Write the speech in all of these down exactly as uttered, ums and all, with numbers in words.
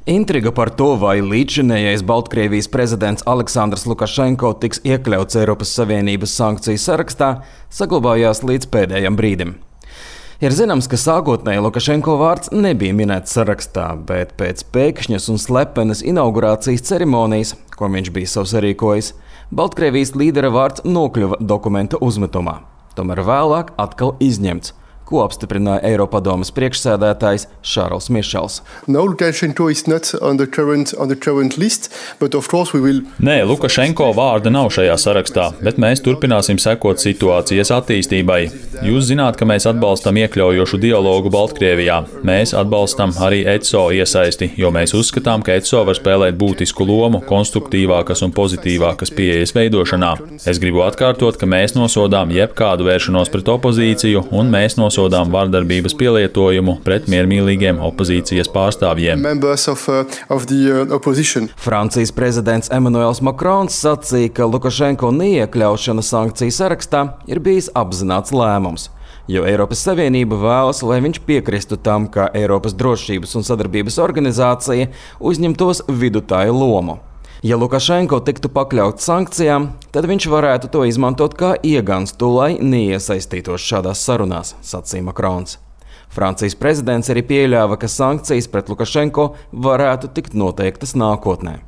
Intriga par to, vai līdzšinējais Baltkrievijas prezidents Aleksandrs Lukašenko tiks iekļauts Eiropas Savienības sankciju sarakstā, saglabājās līdz pēdējam brīdim. Ir zināms, ka sākotnēji Lukašenko vārds nebija minēts sarakstā, bet pēc pēkšņas un slepenas inaugurācijas ceremonijas, ko viņš bija savs sarīkojis, Baltkrievijas līdera vārds nokļuva dokumenta uzmetumā. Tomēr vēlāk atkal izņemts, ko apstiprināja Eiropadomes priekšsēdētājs Šārls Mišels. No, Lukashenko is not on the current, on the current list, but of course we will... Nē, Lukašenko vārda nav šajā sarakstā, bet mēs turpināsim sekot situācijas attīstībai. Jūs zināt, ka mēs atbalstam iekļaujošu dialogu Baltkrievijā. Mēs atbalstam arī E C O iesaisti, jo mēs uzskatām, ka E C O var spēlēt būtisku lomu konstruktīvākas un pozitīvākas pieejas veidošanā. Es gribu atkārtot, ka mēs nosodām jebkādu vēršanos pret opozīciju un mēs nosodām Sodām vardarbības pielietojumu pret miermīlīgiem opozīcijas pārstāvjiem. Of, uh, of the, uh, Francijas prezidents Emmanuels Macrons sacīja, ka Lukašenko neiekļaušana sankciju sarakstā ir bijis apzināts lēmums, jo Eiropas Savienība vēlas, lai viņš piekristu tam, ka Eiropas drošības un sadarbības organizācija uzņemtos vidutāju lomu. Ja Lukašenko tiktu pakļauts sankcijām, tad viņš varētu to izmantot kā ieganstu, lai neiesaistītos šādās sarunās, sacīja Macrons. Francijas prezidents arī pieļāva, ka sankcijas pret Lukašenko varētu tikt noteiktas nākotnē.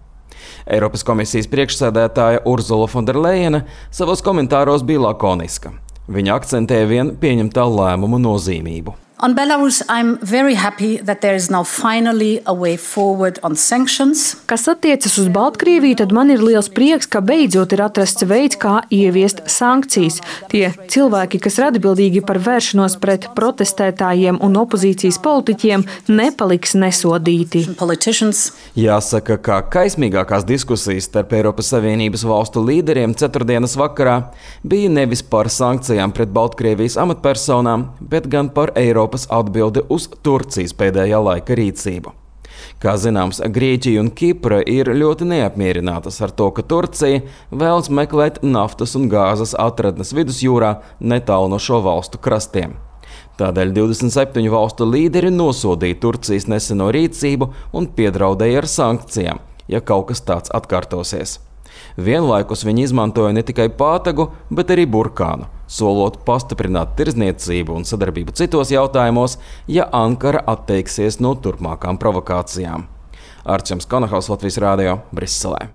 Eiropas komisijas priekšsēdētāja Urzula Fonderlejene savos komentāros bija lakoniska. Viņa akcentēja vien pieņemtā lēmuma nozīmību. On Belarus, I'm very happy that there is now finally a way forward on sanctions. Kas attiecas uz Baltkrieviju, tad man ir liels prieks, ka beidzot ir atrasts veids, kā ieviest sankcijas. Tie cilvēki, kas ir atbildīgi par vēršanos pret protestētājiem un opozīcijas politiķiem, nepaliks nesodīti. Jāsaka, ka kaismīgākās diskusijas starp Eiropas Savienības valstu līderiem ceturtdienas vakarā bija nevis par sankcijām pret Baltkrievijas amatpersonām, bet gan par Eiropas atbildi uz Turcijas pēdējā laika rīcību. Kā zināms, Grieķija un Kipra ir ļoti neapmierinātas ar to, ka Turcija vēlas meklēt naftas un gāzes atradnes vidusjūrā netālu no šo valstu krastiem. Tādēļ divdesmit septiņu valstu līderi nosodīja Turcijas neseno rīcību un piedraudēja ar sankcijām, ja kaut kas tāds atkārtosies. Vienlaikus viņi izmantoja ne tikai pātagu, bet arī burkānu, solot pastiprināt tirdzniecību un sadarbību citos jautājumos, ja Ankara atteiksies no turpmākām provokācijām. Arčuns Konahaus, Latvijas Rādio, Briselē.